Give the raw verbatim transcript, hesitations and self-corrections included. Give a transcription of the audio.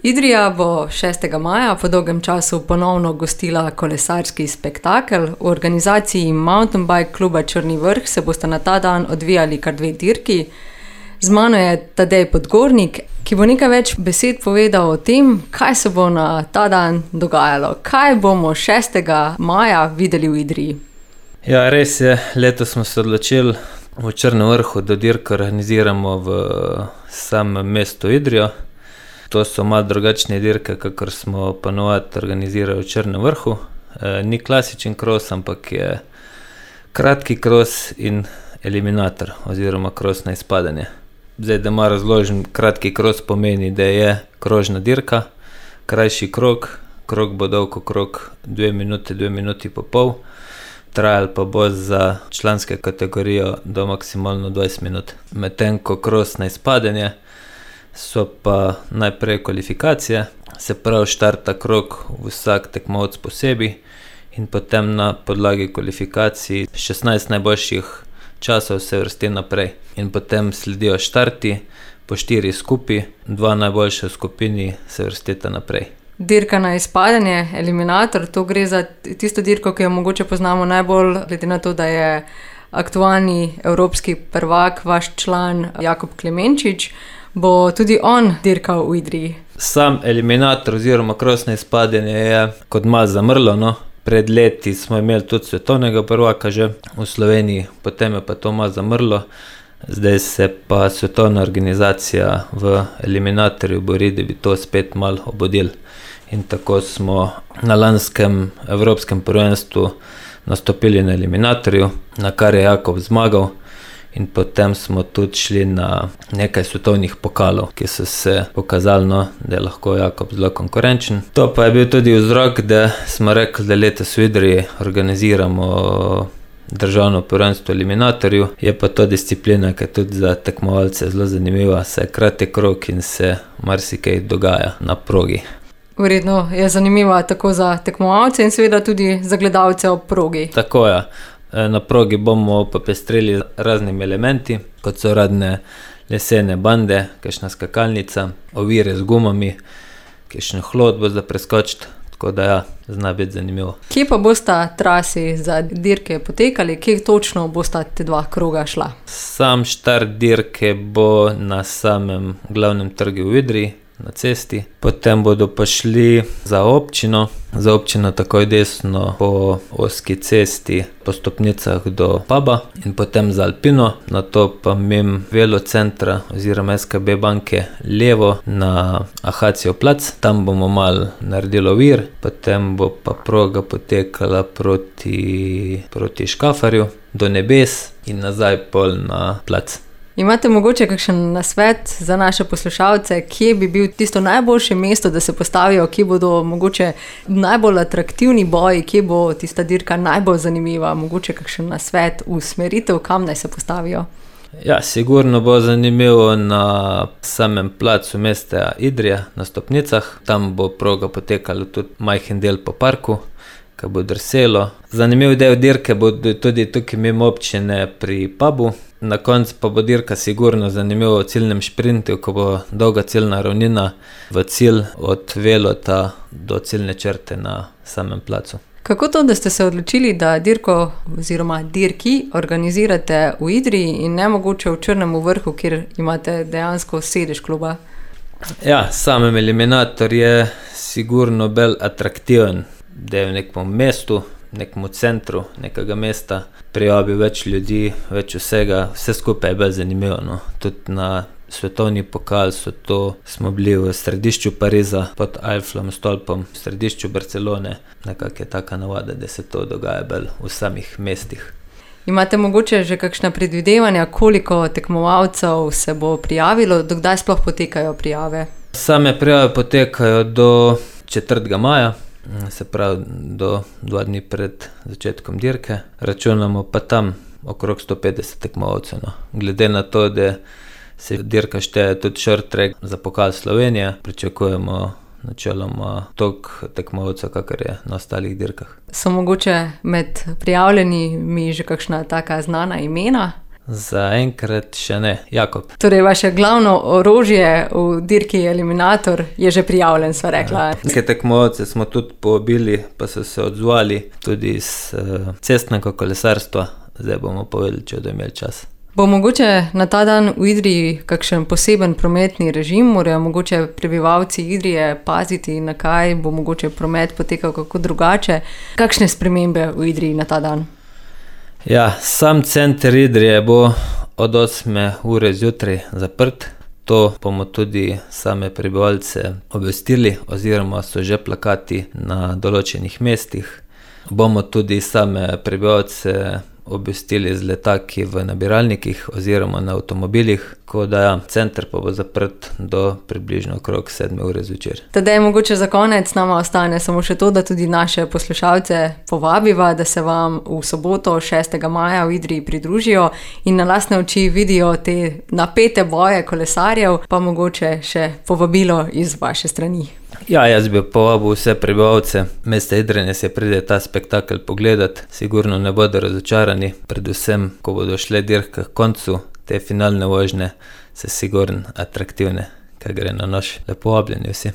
Idrija bo šestega maja po dolgem času ponovno gostila kolesarski spektakel. V organizaciji Mountain Bike kluba Črni vrh se bosta na ta dan odvijali kar dve dirki. Z mano je Tadej Podgornik, ki bo nekaj več besed povedal o tem, kaj se bo na ta dan dogajalo. Kaj bomo šestega maja videli v Idriji? Ja, res je. Letos smo se odločili v Črnem vrhu, da dirko organiziramo v samem mestu Idrijo. To so malo drugačne dirke, kakor smo ponovadi organizirali v Črnem vrhu. E, ni klasičen kros, ampak je kratki kros in eliminator oziroma kros na izpadanje. Zdaj, da malo razložim, kratki kros pomeni, da je krožna dirka, krajši krog, krog bo dolg okrog dve minuti, dve minuti pa pol, trajal pa bo za članske kategorijo do maksimalno dvajset minut. Medtem ko kros na izpadanje so pa najprej kvalifikacije, se pravi štarta krog vsak tekmovalec posebej in potem na podlagi kvalifikacij šestnajst najboljših časov se vrsti naprej. In potem sledijo štarti, po štiri skupaj, dva najboljša v skupini se vrstita naprej. Dirka na izpadanje, eliminator, to gre za tisto dirko, ki jo mogoče poznamo najbolj, glede na to, da je aktualni evropski prvak, vaš član Jakob Klemenčič. Bo tudi on dirkal v Idriji? Sam eliminator oziroma kros na izpadanje je kot malo zamrlo, no. Pred leti smo imeli tudi svetovnega prvaka že v Sloveniji, potem je pa to malo zamrlo. Zdaj se pa svetovna organizacija v eliminatorju bori, da bi to spet malo obudili. In tako smo na lanskem evropskem prvenstvu nastopili na eliminatorju, na kar je Jakob zmagal. In potem smo tudi šli na nekaj svetovnih pokalov, ki so se pokazali, no, da je lahko Jakob zelo konkurenčen. To pa je bil tudi vzrok, da smo rekli, da letos v Idriji organiziramo državno prvenstvo eliminatorju. Je pa to disciplina, ki je tudi za tekmovalce zelo zanimiva, se je kratek krog in se marsikaj dogaja na progi. Verjetno je zanimiva tako za tekmovalce in seveda tudi za gledalce ob progi. Tako je. Na progi bomo popestrili raznimi elementi, kot so radne lesene bande, kakšna skakalnica, ovire z gumami, kakšen hlod bo za preskočiti, tako da ja, zna biti zanimivo. Kje pa bosta trasi za dirke potekali, kje točno bosta te dva kroga šla? Sam štart dirke bo na samem glavnem trgu v Idriji, na cesti. Potem bodo pa šli za občino, za občino takoj desno po ozki cesti, po stopnicah do puba in potem za Alpino, nato pa mimo Velocentra oziroma es ka be banke levo na Ahacijev plac, tam bomo malo naredili ovir, potem bo pa proga potekala proti, proti Škafarju do Nebes in nazaj pol na plac. Imate mogoče kakšen nasvet za naše poslušalce, kje bi bil tisto najboljše mesto, da se postavijo, kje bodo mogoče najbolj atraktivni boji, kje bo tista dirka najbolj zanimiva, mogoče kakšen nasvet, usmeritev, kam naj se postavijo? Ja, sigurno bo zanimivo na samem placu mesta Idrija, na stopnicah. Tam bo proga potekala tudi majhen del po parku, ki bo drselo. Zanimiv del dirke bo tudi tukaj mimo občine pri pubu. Na koncu pa bo dirka sigurno zanimivo v ciljnem šprintu, ko bo dolga ciljna ravnina v cilj od Velota do ciljne črte na samem placu. Kako to, da ste se odločili, da dirko oziroma dirki organizirate v Idriji in ne mogoče v Črnem vrhu, kjer imate dejansko sedež kluba? Ja, samem eliminator je sigurno bolj atraktiven, da je v nekem mestu, nekemu centru nekega mesta, prijavi več ljudi, več vsega, vse skupaj je bolj zanimivo, no. Tudi na svetovni pokal so to, smo bili v središču Pariza, pod Eifflovim stolpom, v središču Barcelone, nekako je taka navada, da se to dogaja bolj v samih mestih. Imate mogoče že kakšna predvidevanja, koliko tekmovalcev se bo prijavilo, do kdaj sploh potekajo prijave? Same prijave potekajo do četrtega maja, se pravi do dva dni pred začetkom dirke. Računamo pa tam okrog sto petdeset tekmovalcev, no. Glede na to, da se dirka šteje tudi short track za pokal Slovenije, pričakujemo načeloma toliko tekmovalcev, kakor je na ostalih dirkah. So mogoče med prijavljenimi že kakšna taka znana imena? Zaenkrat še ne. Jakob. Torej, vaše glavno orožje v dirki Eliminator je že prijavljen, sva rekla. Nekaj tekmovalcev smo tudi povabili, pa so se odzvali tudi iz uh, cestnega kolesarstva. Zdaj bomo povedali, če bodo imeli čas. Bo mogoče na ta dan v Idriji kakšen poseben prometni režim? Morajo mogoče prebivalci Idrije paziti, na kaj bo mogoče promet potekal kako drugače? Kakšne spremembe v Idriji na ta dan? Ja, sam center Idrije bo od osme ure zjutraj zaprt. To bomo tudi same prebivalce obvestili, oziroma so že plakati na določenih mestih. Bomo tudi same prebivalce obvestili z letaki v nabiralnikih oziroma na avtomobilih, ko da ja, center pa bo zaprt do približno okrog sedme ure zvečer. Tadej, mogoče za konec nama ostane samo še to, da tudi naše poslušalce povabiva, da se vam v soboto šestega maja v Idriji pridružijo in na lastne oči vidijo te napete boje kolesarjev, pa mogoče še povabilo iz vaše strani. Ja, jaz bi povabil vse prebivalce mesta Idrije, se pride ta spektakel pogledat. Sigurno ne bodo razočarani, predvsem, ko bodo šle dirke k koncu, te finalne vožnje se sigurno atraktivne, kaj gre na nož. Lepo vabljeni vsi.